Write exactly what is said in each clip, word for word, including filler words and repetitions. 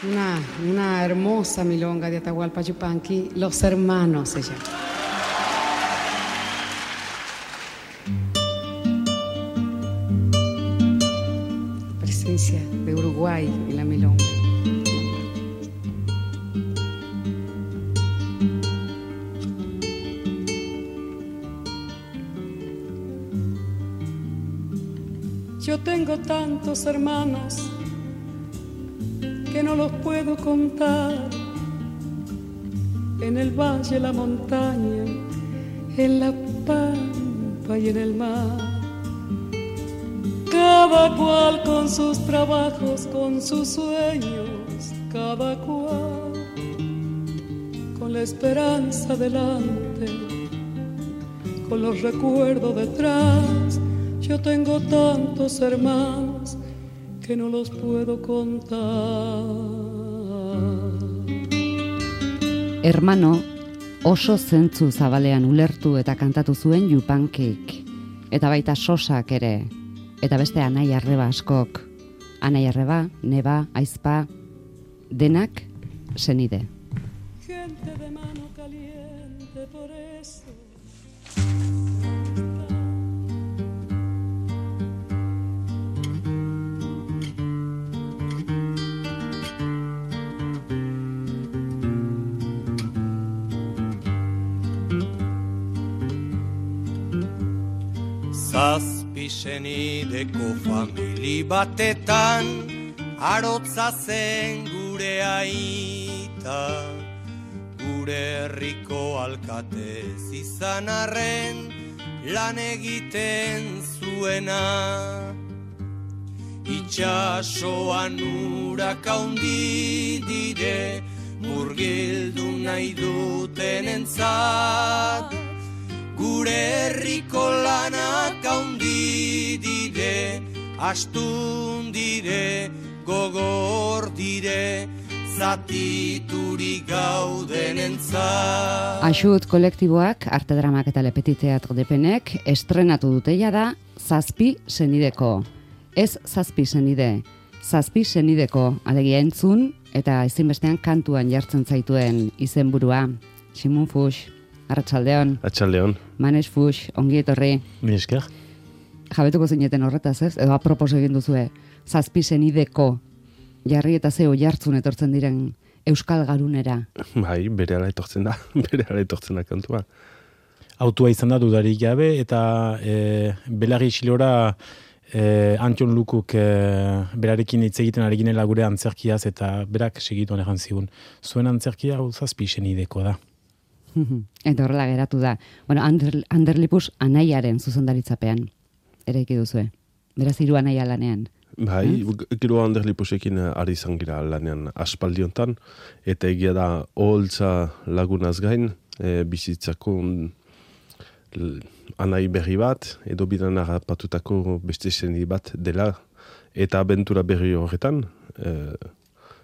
Una, una hermosa milonga de Atahualpa Yupanqui, Los Hermanos se llama. Presencia de Uruguay en la milonga. Yo tengo tantos hermanos que no los puedo contar, en el valle, la montaña, en la pampa y en el mar. Cada cual con sus trabajos, con sus sueños, cada cual con la esperanza delante, con los recuerdos detrás. Yo tengo tantos hermanos que no los puedo contar. Hermano oso zentzu zabalean ulertu eta kantatu zuen Yupankik. Eta baita Sosak ere. Eta beste Anai Arreba askok. Anai Arreba, Neba, Aizpa, denak senide. Gente de mano caliente por eso. Zazpi senideko famili batetan arotza zen gure aita, gure herriko alkatez izan arren lan egiten zuena. Itxasoan urak haundi dire murgildu nahi duten entzat, gure herriko lanak haundi dire, astun dire, gogor dire, zatiturik gauden entzat. Axut kolektiboak, arte dramak eta lepeti teatro depenek, estrenatu duteia da Zazpi senideko. Ez zazpi senide, zazpi senideko, alegia entzun, eta ezinbestean kantuan jartzen zaituen izenburua. Simun Fuchs, Arratsaldeon. Arratsaldeon. Manes Fuchs, ongi etorri. Mi esker. Jabetuko zineten horretaz, ez? Edo apropos egin duzue, zazpi senideko jarri eta zeo jartzun etortzen diren Euskal Garunera. Bai, berehala etortzen da, berehala etortzen da kantua. Autua izan da dudarik gabe, eta e, Belarri Xilora e, Antion Lukuk e, berarekin hitz egiten ari ginela gure antzerkiaz, eta berak segitu egan zigun. Zuen antzerkia hau zazpi senideko da. Eta horrela geratu da. Bueno, Ander, Anderlipus anaiaren zuzendaritzapean eraiki duzue. Beraz hiru anaia lanean. Bai, eh? Gero Anderlipusekin ari izan gira lanean aspaldiontan, eta egia da oholtza lagunaz gain, e, bizitzako anai berri bat, edo bidan harrapatutako beste seni bat dela, eta abentura berri horretan, e,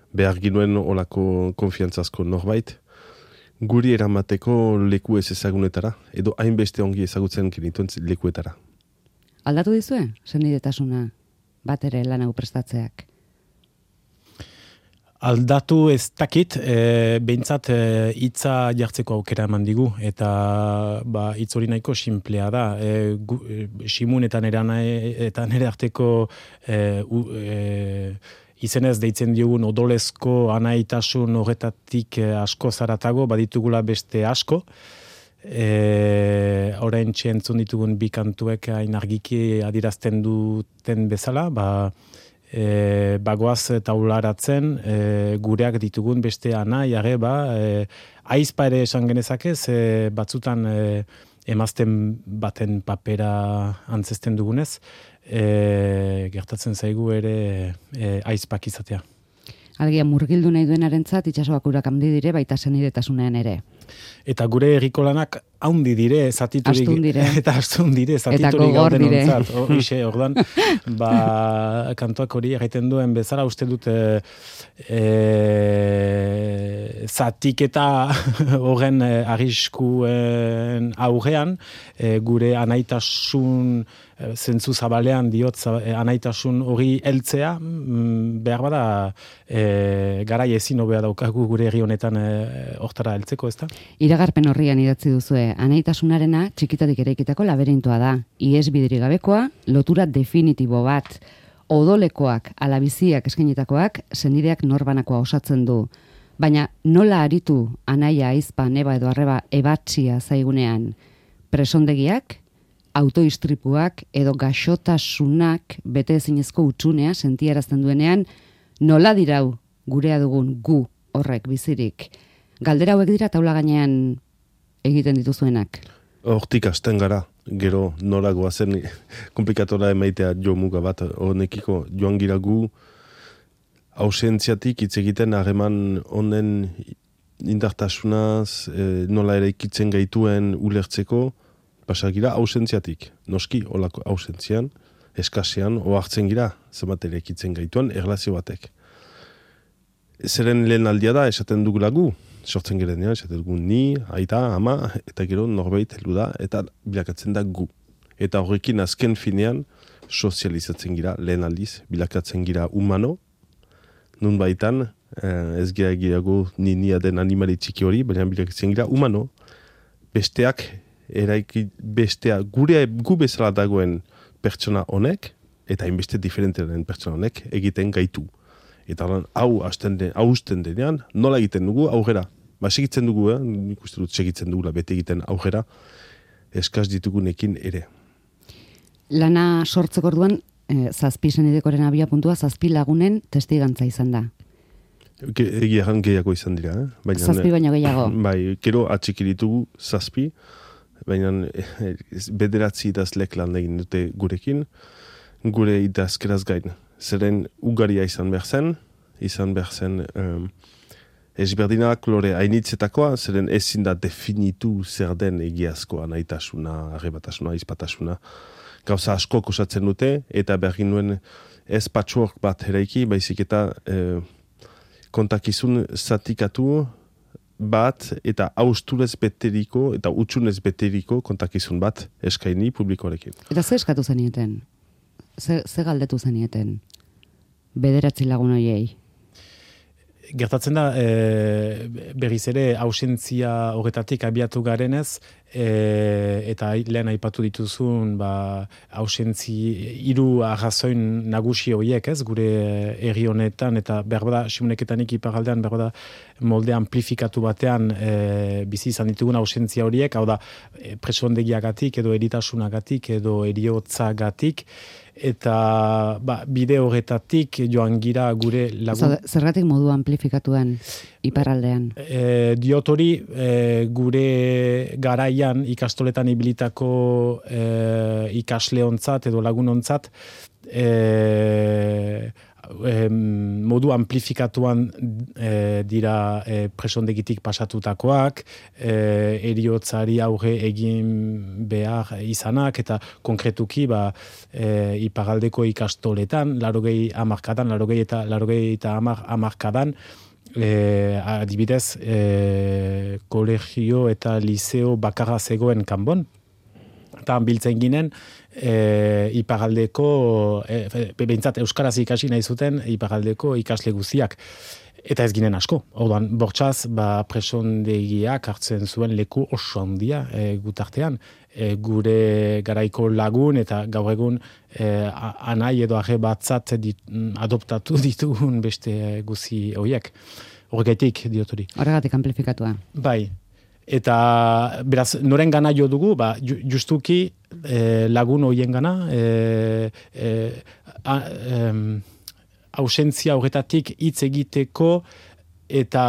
behar ginuen olako konfiantzazko norbait, guri eramateko leku ez ezagunetara, edo hainbeste ongi ezagutzen genituen lekuetara. Aldatu dizue, senidetasuna, bat ere lan hau prestatzeak? Aldatu ez dakit, e, behintzat hitza e, jartzeko aukera eman digu, eta ba, hitz hori nahiko simplea da. E, gu, e, Simun eta nere, eta nere arteko e, u, e, izenez deitzen diogun odolezko anaitasun horretatik asko zaratago, baditugula beste asko. E, orain txentzun ditugun bi kantuek hain argiki adirazten duten bezala, ba, e, bagoaz taularatzen e, gureak ditugun beste anai, arreba, e, aizpa ere esan genezakez, e, batzutan e, emazten baten papera antzesten dugunez, e, gertatzen zaigu ere e, aizpak izatea. Algia murgildu nahi duenarentzat itsasoak urak handi dire, baita senidetasunean ere. Eta gure herriko lanak haundi dire, zatiturik. Astun dire. Eta astun dire, zatiturik gauden ontzat. Hoxe, ordan, ba, kantoak hori egiten duen bezala, uste dut e, e, zatik eta horren e, arriskuen aurrean, e, gure anaitasun zentzu zabalean diot e, anaitasun hori heltzea, mm, behar bada e, garai ezin hobea daukagu gure herri honetan hortara e, heltzeko, ezta? Iragarpen horrian idatzi duzue, anaitasunarena txikitatik eraikitako laberintoa da. Ies bideri gabekoa, lotura definitibo bat, odolekoak, alabiziak eskainitakoak, senideak norbanakoa osatzen du. Baina nola aritu anaia, aizpa, neba edo arreba ebatxia zaigunean? Presondegiak, autoistripuak edo gaxotasunak bete ezinezko utxunea sentiarazten duenean, nola dirau gurea dugun gu horrek bizirik? Galdera hauek dira taula gainean egiten dituzuenak. Hortik hasten gara, gero nola goazen komplikatora emaitea jo muga bat, honekiko joan gira gu ausentziatik hitz egiten harreman honen indartasunaz, e, nola ere ikitzen gaituen ulertzeko, pasagira ausentziatik, noski olako ausentzian, eskasean, ohartzen gira, zenbat ere ikitzen gaituen erlazio batek. Zeren lehen aldia da, esaten dugula gu, sortzen girenean, esaten dugu ni, aita, ama, eta gero norbait heldu da, eta bilakatzen da gu. Eta horrekin azken finean, sozializatzen gira, lehen aldiz, bilakatzen gira humano, nun baitan, eh, ez gira girago ni nia den animali txiki hori, baina bilakatzen gira humano, besteak, eraiki bestea, gure gu bezala dagoen pertsona honek, eta hainbeste diferenteren pertsona honek egiten gaitu. Eta lan, hau hasten den, hausten denean, nola egiten dugu aurrera. Ba, segitzen dugu, eh? Nik uste dut segitzen dugula bete egiten aurrera, eskaz ditugunekin ere. Lana sortzeko orduan, eh, zazpi senidekoren abia puntua, zazpi lagunen testigantza izan da. Egia egan gehiago izan dira, eh? Baina, zazpi baino gehiago. Bai, kero atxiki ditugu zazpi, baina bederatzi idazlek lan egin dute gurekin, gure idazkeraz gain. Zeren ugaria izan behar zen, izan behar zen um, ezberdina klore hainitzetakoa, zeren ezin da definitu zer den egiazkoa, nahitasuna, arrebatasuna, izpatasuna. Gauza asko osatzen dute, eta bergin nuen ez patchwork bat eraiki, baizik eta eh, kontakizun zatikatu bat eta austurez beteriko eta utxunez beteriko kontakizun bat eskaini publikoarekin. Eta ze eskatu zenieten? Ze, ze galdetu zenieten? Bederatzi lagun horiei? Gertatzen da, e, berriz ere, ausentzia horretatik abiatu garenez, e, eta lehen aipatu dituzun, ba, ausentzi, hiru arrazoin nagusi horiek, ez, gure herri honetan, eta berbada, simuneketanik iparaldean, berbada, molde amplifikatu batean e, bizi izan ditugun ausentzia horiek, hau da, e, presondegiagatik, edo eritasunagatik, edo eriotzagatik, eta ba, bide horretatik joan gira gure lagun... Zergatik modu amplifikatuan iparraldean? E, diot hori e, gure garaian ikastoletan ibilitako e, ikasleontzat edo lagunontzat e, e, modu amplifikatuan e, dira e, presondegitik pasatutakoak, e, eriotzari aurre egin behar izanak, eta konkretuki ba, e, iparaldeko ikastoletan, larogei hamarkadan, larogei eta larogei eta hamar hamarkadan, e, adibidez, e, kolegio eta liceo bakarra zegoen kanbon, eta biltzen ginen, E, iparaldeko, e, behintzat euskaraz ikasi nahi zuten iparaldeko ikasle guztiak. Eta ez ginen asko. Orduan, bortxaz, ba, presondegiak hartzen zuen leku oso handia e, gutartean. E, gure garaiko lagun eta gaur egun e, anai edo arre batzat dit, adoptatu ditugun beste guzi horiek. Horregatik diotori. Horregatik amplifikatua. Bai. Eta, beraz, noren gana jo dugu, ba, justuki eh, lagun horien gana, eh, eh, eh, ausentzia horretatik hitz egiteko eta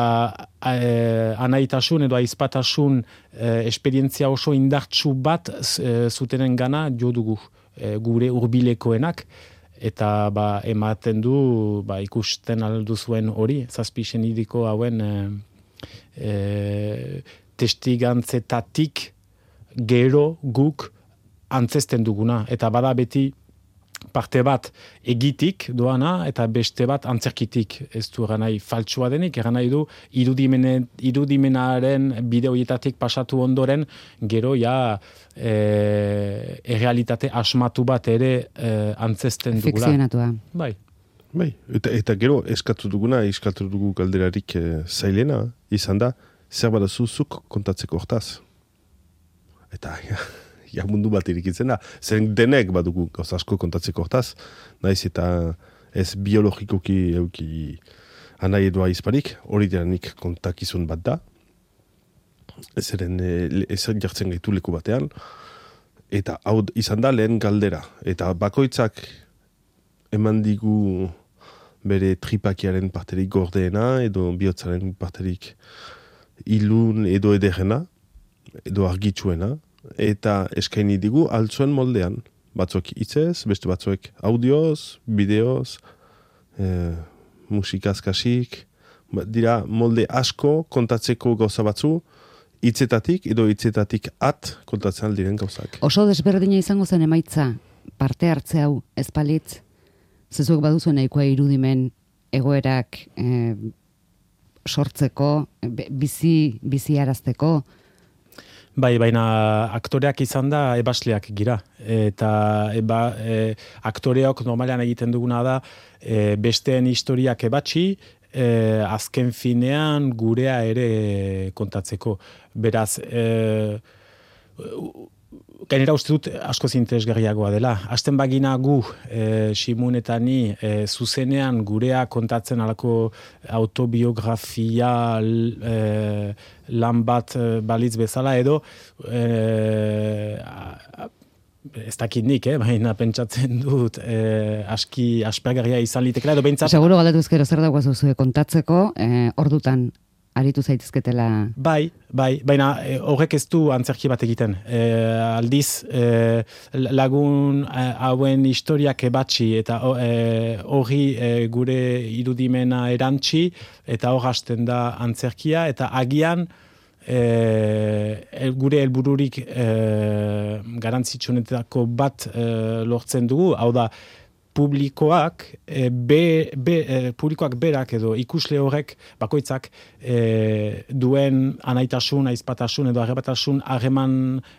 eh, anaitasun edo aizpatasun eh, esperientzia oso indartsu bat eh, zutenen gana jo dugu eh, gure hurbilekoenak. Eta ba, ematen du ba, ikusten aldu zuen hori, zazpi senidiko hauen eh, eh, testigantzetatik gero guk antzesten duguna. Eta bada beti parte bat egitik doana eta beste bat antzerkitik. Ez du eran nahi faltsua denik, eran nahi du irudimene, irudimenaren bide horietatik pasatu ondoren gero ja e, errealitate asmatu bat ere e, antzesten dugula. Fikzionatua. Bai. Bai, eta, eta gero eskatu duguna, eskatu dugu galderarik e, zailena, izan da, zer badazu zuk kontatzeko hortaz. Eta, ja, ja mundu bat irikitzen da. Zen denek badugu gauza asko kontatzeko hortaz, naiz eta ez biologikoki euki anai edoa izparik, hori diranik kontakizun bat da. Zeren ez jartzen gaitu leku batean, eta hau izan da lehen galdera. Eta bakoitzak eman digu bere tripakiaren parterik gordeena, edo bihotzaren parterik ilun edo ederena, edo argitsuena, eta eskaini digu altzuen moldean. Batzuek hitzez, beste batzuek audioz, bideoz, e, musikaz kasik, dira molde asko kontatzeko gauza batzu, hitzetatik edo hitzetatik at kontatzen aldiren gauzak. Oso desberdina izango zen emaitza, parte hartze hau ezpalitz, zezuek baduzu nahikoa irudimen egoerak e, sortzeko, bizi, bizi arazteko. Bai, baina aktoreak izan da ebasleak gira. Eta eba, e, aktoreok normalean egiten duguna da e, besteen historiak ebatxi, e, azken finean gurea ere kontatzeko. Beraz, e, gainera uste dut asko interesgarriagoa dela. Hasten bagina gu, e, Simun eta ni, e, zuzenean gurea kontatzen alako autobiografia e, lan bat e, balitz bezala edo, e, ez dakit nik, eh? Baina pentsatzen dut e, aski aspergarria izan litekela edo behintzat. Seguro galdetuz gero zer daukazu zuen kontatzeko, e, ordutan aritu zaitezketela. Bai, bai, baina e, horrek ez du antzerki bat egiten. E, aldiz, e, lagun e, hauen historiak ebatxi eta hori e, gure irudimena erantzi eta hor hasten da antzerkia eta agian e, gure helbururik e, garantzitsunetako bat e, lortzen dugu, hau da, publikoak, e, be, be, e, publikoak berak edo ikusle horrek bakoitzak e, duen anaitasun, aizpatasun edo arrebatasun harreman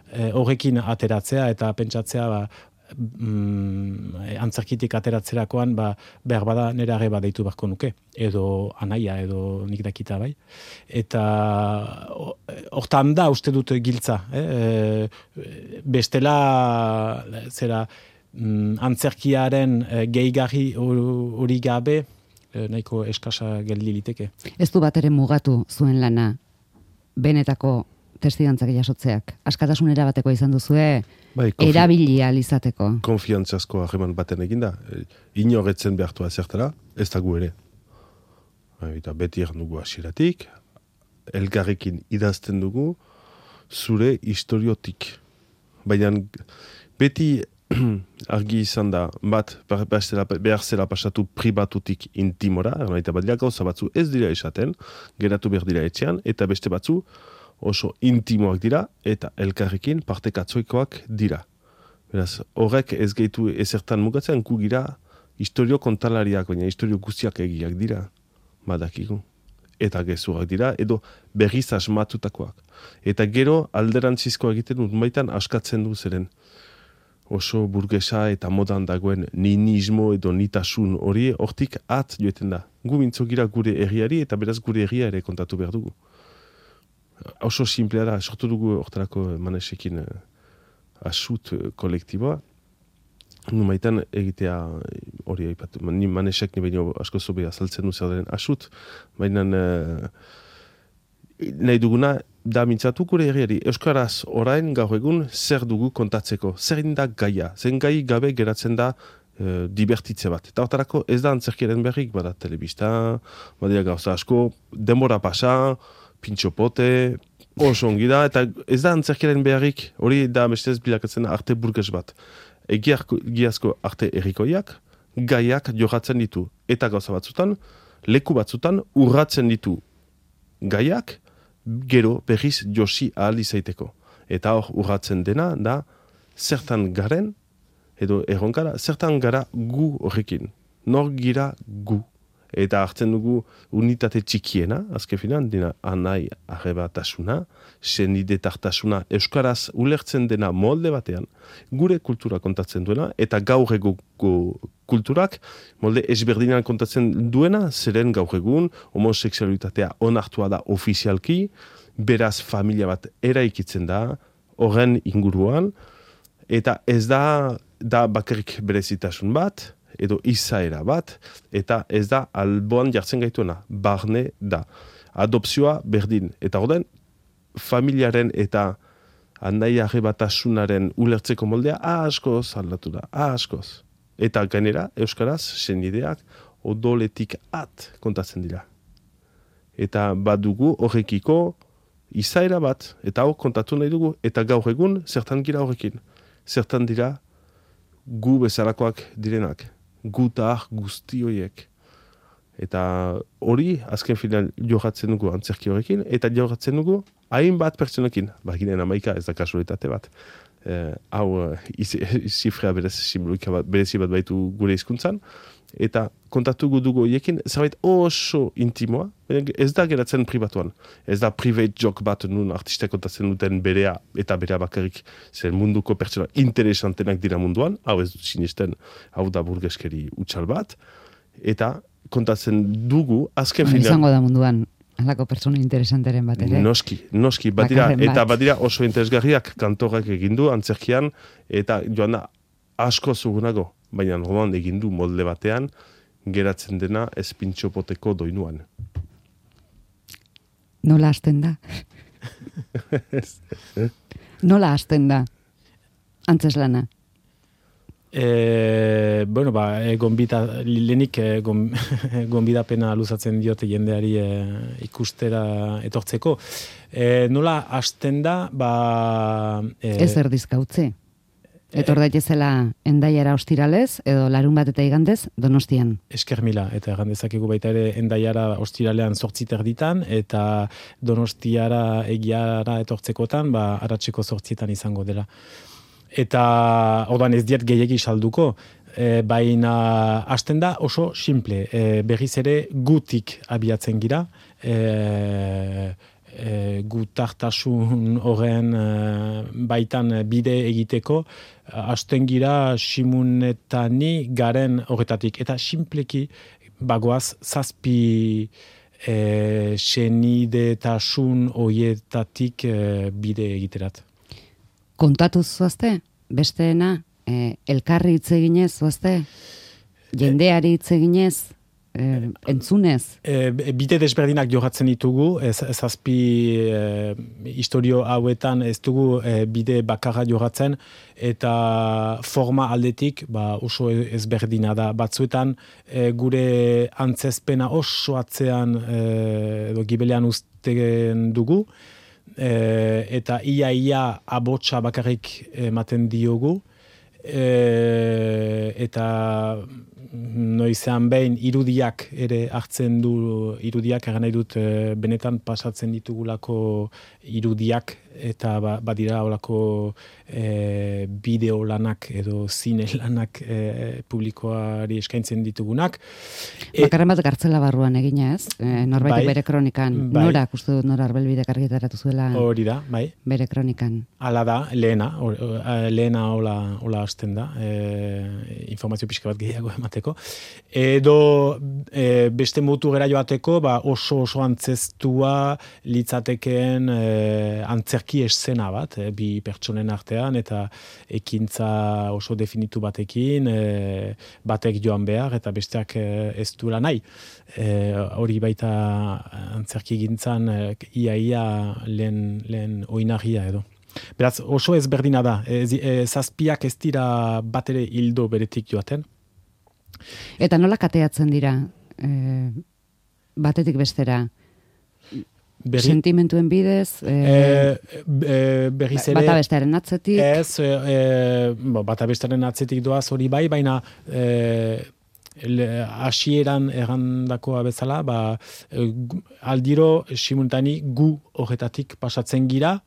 e, horrekin ateratzea eta pentsatzea ba, mm, antzerkitik ateratzerakoan ba, behar bada nire arreba deitu beharko nuke edo anaia edo nik dakita bai. Eta hortan da uste dut giltza. Eh? E, bestela zera Mm, antzerkiaren e, gehigarri hori gabe e, nahiko eskasa geldi liteke. Ez du bat ere mugatu zuen lana benetako testigantzak jasotzeak. Askatasunera bateko izan duzue bai, konfi- erabilia izateko. Konfiantzazko harreman baten eginda. Inoretzen behartua zertara, ez da gu ere. Eta beti eran dugu hasieratik, elgarrekin idazten dugu zure historiotik. Baina beti argi izan da, bat behar zela pasatu pribatutik intimora, eta bat dira gauza batzu ez dira esaten, geratu behar dira etxean, eta beste batzu oso intimoak dira, eta elkarrekin partekatzoikoak dira. Beraz, horrek ez gehitu ezertan mugatzen, gu gira historio kontalariak, baina historio guztiak egiak dira, badakigu. Eta gezurak dira, edo berriz asmatutakoak. Eta gero alderantzizkoa egiten dut baitan askatzen du zeren. Oso burgesa eta modan dagoen ninismo edo nitasun hori hortik at joeten da. Gu mintzogira gure herriari eta beraz gure herria ere kontatu behar dugu. Oso simplea da, sortu dugu hortarako Manesekin uh, asut uh, kolektiboa. Numaitan egitea hori aipatu. Ni Manesek ni baino asko zobe azaltzen du zer den asut, baina uh, nahi duguna da mintzatu gure herriari. Euskaraz orain gaur egun zer dugu kontatzeko. Zer da gaia. Zen gai gabe geratzen da e, divertitze bat. Eta hortarako ez da antzerkiaren berrik, bada telebista, badira gauza asko, denbora pasa, pintxopote, oso ongi da, eta ez da antzerkiaren berrik, hori da bestez bilakatzen arte burges bat. Egiazko arte errikoiak, gaiak joratzen ditu. Eta gauza batzutan, leku batzutan urratzen ditu gaiak, gero berriz josi ahal izaiteko. Eta hor urratzen dena, da, zertan garen, edo erronkara, zertan gara gu horrekin. Nor gira gu. Eta hartzen dugu unitate txikiena, azken finan, dina anai arrebatasuna, senidetartasuna, euskaraz ulertzen dena molde batean, gure kultura kontatzen duena, eta gaur eguko kulturak molde ezberdinan kontatzen duena, zeren gaur egun, homoseksualitatea onartua da ofizialki, beraz familia bat eraikitzen da, horren inguruan, eta ez da, da bakarrik berezitasun bat, edo izaera bat, eta ez da alboan jartzen gaituena, barne da. Adopzioa berdin. Eta orden, familiaren eta anai arrebatasunaren ulertzeko moldea askoz aldatu da, askoz. Eta gainera, euskaraz, senideak odoletik at kontatzen dira. Eta badugu horrekiko izaera bat, eta hor kontatu nahi dugu, eta gaur egun zertan gira horrekin. Zertan dira gu bezalakoak direnak. Gutar guzti horiek. Eta hori, azken final jogatzen dugu antzerki horrekin, eta jogatzen dugu hainbat pertsonekin. Ba, ginen amaika ez da kasualitate bat. Eh, hau, zifrea berez, simbolika bat, berezi bat baitu gure hizkuntzan, eta kontatu dugu horiekin, zerbait oso intimoa, ez da geratzen pribatuan. Ez da private joke bat nun artistak kontatzen duten berea, eta berea bakarrik zer munduko pertsona interesantenak dira munduan, hau ez dut sinisten, hau da burgeskeri utxal bat, eta kontatzen dugu, azken final... Izango da munduan, halako pertsona interesanteren bat ere. Noski, noski, batira, eta batira oso interesgarriak kantorak egindu, antzerkian, eta joan da asko zugunago, baina roman egindu molde batean, geratzen dena ez pintxopoteko doinuan. Nola hasten da? Nola hasten da? Antzeslana? E, bueno, ba, e, gonbita, lehenik e, gon, gonbidapena luzatzen diote jendeari e, ikustera etortzeko. E, nola hasten da, ba... E, Ez erdizkautze. Etor daitezela Endaiara ostiralez, edo larun bat eta igandez, Donostian. Esker mila, eta egandezakegu baita ere Endaiara ostiralean zortzi terditan, eta Donostiara egiara etortzekotan, ba, aratzeko zortzietan izango dela. Eta ordan ez diet gehiegi salduko, e, baina hasten da oso simple, e, berriz ere gutik abiatzen gira, e, E, gutartasun horren e, baitan bide egiteko, hasten gira simunetani garen horretatik. Eta simpleki bagoaz zazpi e, senidetasun horietatik e, bide egiterat. Kontatuz zuazte? Besteena? E, elkarri hitz eginez zuazte? Jendeari hitz eginez? Eh, entzunez? E, bide desberdinak jogatzen ditugu, ez, zazpi e, historio hauetan ez dugu e, bide bakarra jogatzen, eta forma aldetik ba, oso ezberdina da. Batzuetan e, gure antzezpena oso atzean e, edo gibelean uzten dugu, e, eta ia-ia abotsa bakarrik ematen diogu, e, eta noizean behin irudiak ere hartzen du, irudiak egan nahi dut e, benetan pasatzen ditugulako irudiak, eta ba, badira olako e, bideo lanak edo zine lanak e, publikoari eskaintzen ditugunak. E, Bakarren bat gartzela barruan egina ez? E, norbaitek bai, bere kronikan, bai, norak uste dut nora arbelbidek argitaratu zuela hori da, bai, bere kronikan. Hala da, lehena, or, lehena hola, hola hasten da, e, informazio pixka bat gehiago emateko. Edo e, beste motu gera joateko, ba, oso oso antzestua litzatekeen e, antzerki eszena bat, e, bi pertsonen artean, eta ekintza oso definitu batekin, e, batek joan behar, eta besteak e, ez duela nahi. E, hori baita antzerki gintzan e, ia-ia lehen, lehen oinarria edo. Beraz, oso ezberdina da. E, e, zazpiak ez dira bat ere hildo beretik joaten. Eta nola kateatzen dira e, batetik bestera? Berri? Sentimentuen bidez? E, e, e, berriz ere... Bata bestearen atzetik? Ez, e, e, bata bestearen atzetik doaz hori bai, baina e, hasieran errandakoa bezala, ba, aldiro simultani gu horretatik pasatzen gira,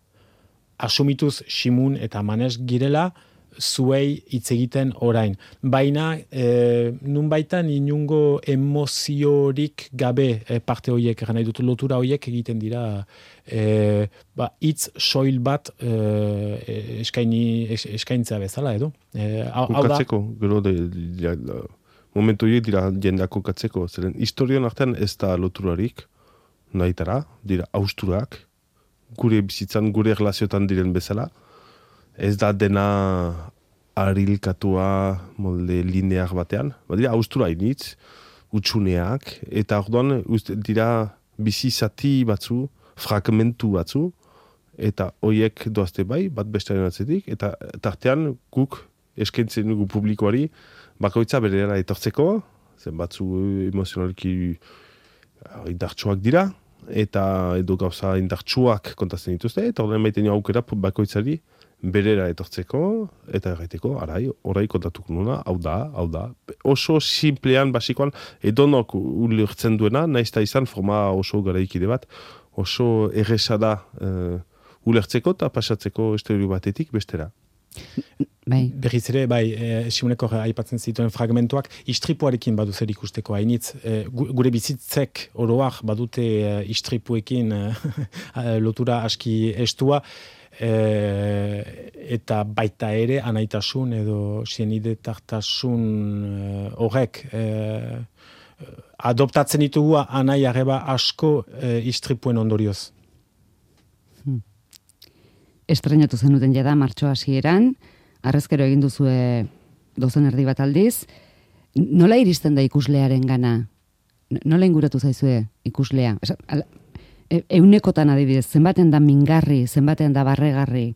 asumituz Simun eta Manes girela, zuei hitz egiten orain. Baina, e, nun baitan inungo emoziorik gabe e, parte horiek, gana dut lotura horiek egiten dira, e, ba, hitz soil bat e, eskaini, es, eskaintzea bezala, edo? E, hau da... Kokatzeko, gero de, de, de, momentu horiek dira jendeak kokatzeko, zeren historian artean ez da loturarik, nahitara, dira austurak, gure bizitzan, gure erlaziotan diren bezala, ez da dena arilkatua molde linear batean, ba dira austura initz, utxuneak, eta orduan dira bizi zati batzu, fragmentu batzu, eta hoiek doazte bai, bat bestearen atzetik, eta tartean guk eskaintzen dugu publikoari, bakoitza berera etortzeko, zen batzu emozionalki indartsuak dira, eta edo gauza indartsuak kontatzen dituzte, eta orduan maiten aukera bakoitzari berera etortzeko, eta erraiteko, arai, orai kontatuko nuna, hau da, hau da. Oso simplean, basikoan, edonok ulertzen duena, naizta izan forma oso garaikide bat, oso erresa da uh, ulertzeko eta pasatzeko esterio batetik bestera. Bai. Berriz ere, bai, e, Simoneko aipatzen zituen fragmentuak, istripuarekin badu zer ikusteko hainitz. E, gure bizitzek oroak badute e, istripuekin e, lotura aski estua, e, eta baita ere anaitasun edo senidetartasun horrek e, adoptatzen ditugu anai arreba asko e, istripuen ondorioz. Hmm. Estrenatu zenuten jada martxo hasieran, arrezkero egin duzue dozen erdi bat aldiz. Nola iristen da ikuslearen gana? Nola inguratu zaizue ikuslea? Esa, ala, e, eunekotan adibidez, zenbaten da mingarri, zenbaten da barregarri,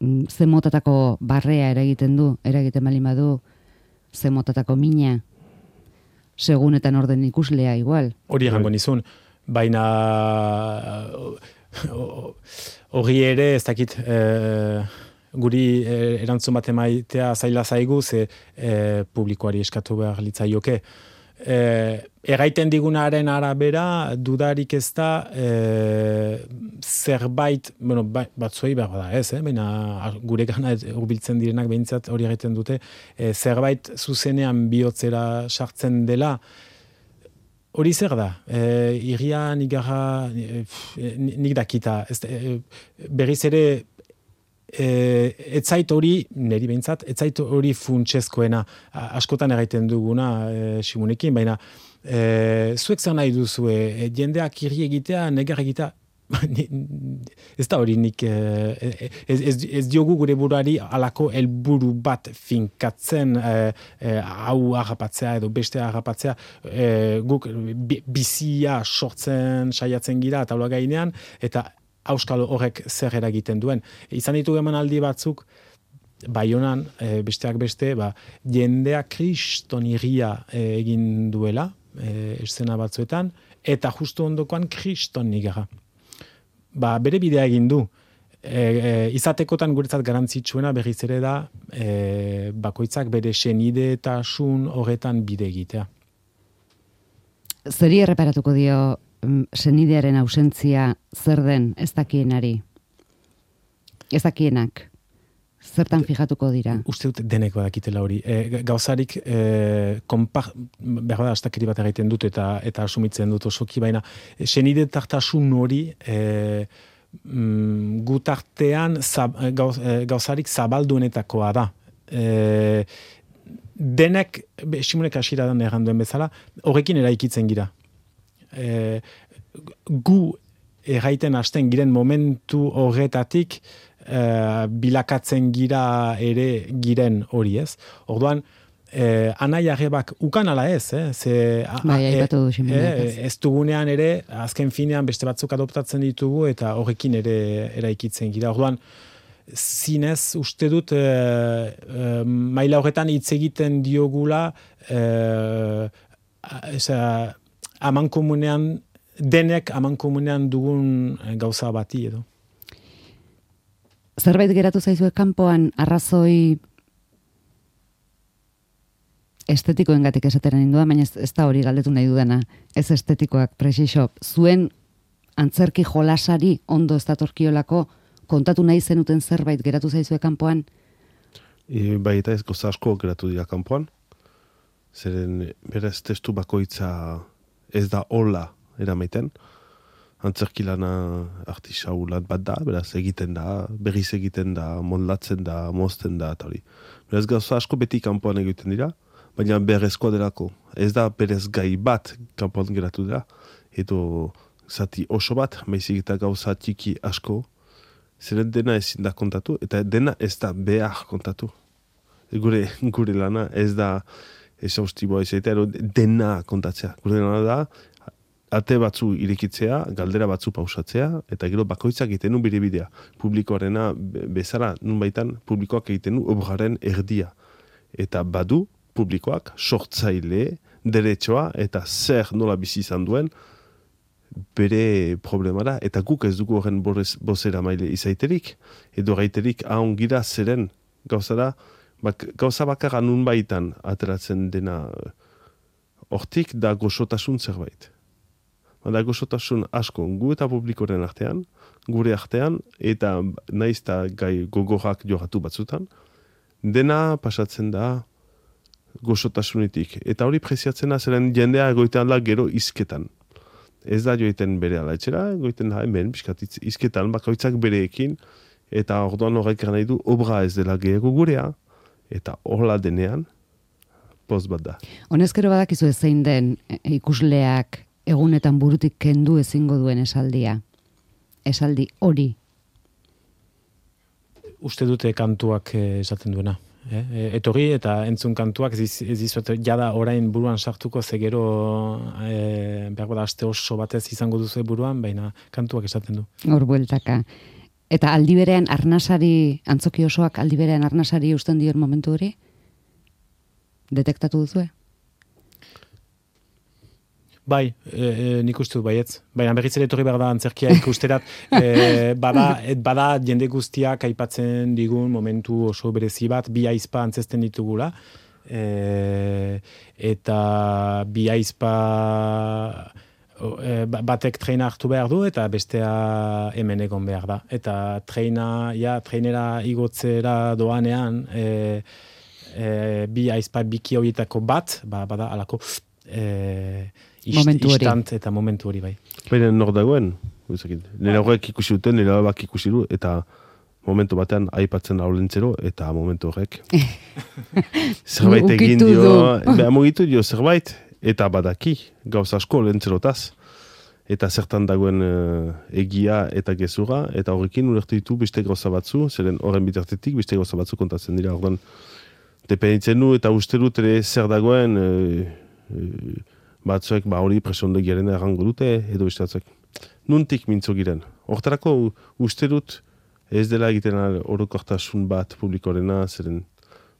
zen motatako barrea eragiten du, eragiten bali badu, zen motatako mina, segunetan orden ikuslea igual. Hori egango nizun, baina hori ere, ez dakit, e, guri e, erantzun bat emaitea zaila zaigu, ze e, publikoari eskatu behar litzaioke. E, erraiten digunaren arabera, dudarik ez da, e, zerbait, bueno, ba, batzuei behar da ez, eh? Baina gure gana hurbiltzen direnak behintzat hori egiten dute, e, zerbait zuzenean bihotzera sartzen dela. Hori zer da, e, irria nik gara, e, nik dakita, ez, e, berriz ere, e, etzait hori, niri behintzat, etzait hori funtsezkoena, askotan egiten duguna e, Simonekin, baina e, zuek zer nahi duzu, e, jendeak irri egitea, negar egitea, ez da hori nik, ez, ez, ez diogu gure buruari alako helburu bat finkatzen, e, hau harrapatzea edo beste harrapatzea, e, guk bizia sortzen saiatzen gira taula gainean, eta auskalo horrek zer eragiten duen. Izan ditu emanaldi batzuk, Baionan, e, besteak beste, ba, jendea kriston irria e, egin duela, e, eszena batzuetan, eta justu ondokoan kriston nigara. Ba, bere bidea egin du. E, e, izatekotan guretzat garantzitsuena berriz ere da e, bakoitzak bere senidetasun horretan bide egitea. Zeri erreparatuko dio senidearen ausentzia zer den ez dakienari? Ez dakienak? Zertan fijatuko dira? Uste dut denek badakitela hori. E, gauzarik e, konpar, behar da astakiri bat egiten dut eta eta asumitzen dut osoki, baina senidetartasun hori e, mm, gutartean zab, gauz, e, gauzarik zabalduenetakoa da. E, denek, Simonek hasieran erranduen bezala, horrekin eraikitzen gira. E, gu erraiten hasten giren momentu horretatik Uh, bilakatzen gira ere giren hori ez. Orduan, eh, anai arrebak ukan ala ez, eh? Ze, bai, aipatu du Simonek. Eh, ez dugunean ere, azken finean beste batzuk adoptatzen ditugu eta horrekin ere eraikitzen gira. Orduan, zinez uste dut eh, eh, maila horretan hitz egiten diogula eh, eza, amankomunean, denek amankomunean dugun gauza bati edo. Zerbait geratu zaizue kanpoan arrazoi estetikoengatik esatera nindua, baina ez, ez da hori galdetu nahi dudana. Ez estetikoak, presixo. Zuen antzerki jolasari ondo ez datorkiolako kontatu nahi zenuten zerbait geratu zaizue kanpoan? E, bai eta ez goza asko geratu dira kanpoan. Zeren berez testu bakoitza ez da hola eramaiten. Antzerkilana artisaulat bat da, beraz egiten da, berriz egiten da, moldatzen da, mozten da, eta hori. Beraz gauza asko beti kanpoan egiten dira, baina berezkoa delako. Ez da berez gai bat kanpoan geratu dira, edo zati oso bat, maizik eta gauza txiki asko, zeren dena ezin da kontatu, eta dena ez da behar kontatu. Gure, gure lana ez da esaustiboa izatea, dena kontatzea. Gure lana da, ate batzu irekitzea, galdera batzu pausatzea, eta gero bakoitzak egiten du bere bidea. Publikoarena bezala, nun baitan, publikoak egiten du obraren erdia. Eta badu, publikoak, sortzaile, deretsoa, eta zer nola bizi izan duen, bere problemara, eta guk ez dugu horren bozera maile izaiterik, edo gaiterik ahongira zeren gauzara, bak, gauza bakarra nun baitan ateratzen dena hortik da gozotasun zerbait. Da gozotasun asko gu eta publikoren artean, gure artean, eta naiz eta gai gogorak jogatu batzutan, dena pasatzen da gozotasunetik. Eta hori preziatzen da zeren jendea egoitean da gero izketan. Ez da joiten bere alaitxera, egoiten da hemen, piskat izketan, bakoitzak bereekin, eta orduan horrek nahi du obra ez dela gehiago gurea, eta horla denean, poz bat da. Honezkero badakizu ezein den ikusleak egunetan burutik kendu ezingo duen esaldia. Esaldi hori. Uste dute kantuak esaten duena. Eh? Etorri eta entzun kantuak ez dizuet jada orain buruan sartuko ze gero e, behar da aste oso batez izango duzu buruan, baina kantuak esaten du. Hor bueltaka. Eta aldi berean arnasari, antzoki osoak aldi berean arnasari usten dion momentu hori? Detektatu duzue? Bai, e, e, nik uste dut baietz. Baina berriz ere etorri behar da antzerkia ikusterat. E, bada, et bada jende guztiak aipatzen digun momentu oso berezi bat, bi aizpa antzesten ditugula. E, eta bi aizpa e, batek treina hartu behar du eta bestea hemen egon behar da. Eta treina, ja, treinera igotzera doanean, e, e, bi aizpa biki horietako bat, ba, bada alako... E, Ist, momentu hori. Istant eta momentu hori bai. Baina nor dagoen, nire horrek ikusi duten, nire horrek ikusi du, eta momentu batean aipatzen haulentzero, eta momentu horrek. Zerbait egin dio, beha mugitu dio zerbait, eta badaki, gauz asko lentzerotaz, eta zertan dagoen uh, egia eta gezurra, eta horrekin ulertu ditu beste gauza batzu, zeren horren bitartetik beste gauza batzu kontatzen dira, ordan dependitzen du, eta uste dut ere zer dagoen, uh, uh, batzuek ba hori presondo giren errango dute, edo bestatzek. Nuntik mintzo giren. Hortarako uste dut ez dela egiten orokortasun bat publikorena, zeren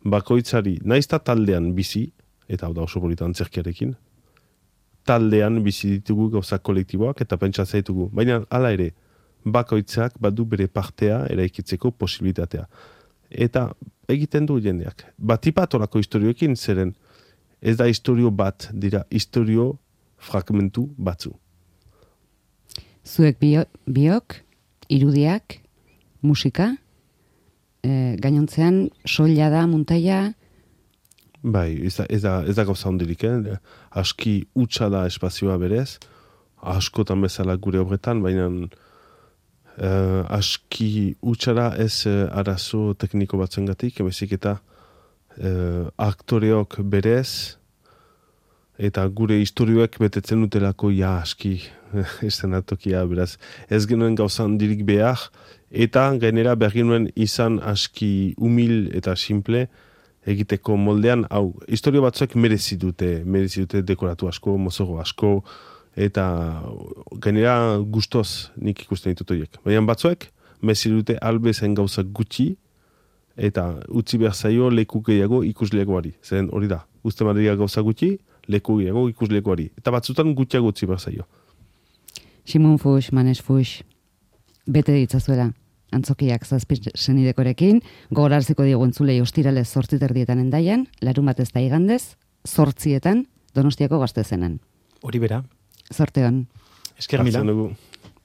bakoitzari, naizta taldean bizi, eta hau da oso polita antzerkiarekin, taldean bizi ditugu gauza kolektiboak eta pentsa zaitugu. Baina hala ere, bakoitzak badu bere partea eraikitzeko posibilitatea. Eta egiten du jendeak. Batipat horako historioekin, zeren ez da historio bat, dira historio fragmentu batzu. Zuek bio, biok, irudiak, musika, e, gainontzean soila da, muntaia? Bai, ez da, ez da, ez da gauza hondirik, eh? Aski utxa da espazioa berez, askotan bezala gure obretan, baina eh, aski utxa da ez eh, arazo tekniko batzengatik, emezik eta Uh, aktoreok berez eta gure historioek betetzen dutelako ja aski estenatokia, beraz ez genuen gauza handirik behar eta gainera behar genuen izan aski humil eta simple egiteko moldean, hau, historio batzuek merezi dute, merezi dute dekoratu asko, mozoro asko eta gainera gustoz nik ikusten ditut horiek. Baina batzuek merezi dute albezen gauza gutxi eta utzi behar zaio leku gehiago ikuslegoari. Zeren hori da, uste madria gauza gutxi, leku gehiago ikuslegoari. Eta batzutan gutxiago utzi behar zaio. Simon Fuchs, Manes Fuchs, bete ditzazuela antzokiak zazpi senidekorekin, gogorarziko diegu entzulei ostiralez zortzi terdietan Hendaian, larun batez da igandez, zortzietan Donostiako Gaztezenan. Hori bera. Zorte hon. Esker mila.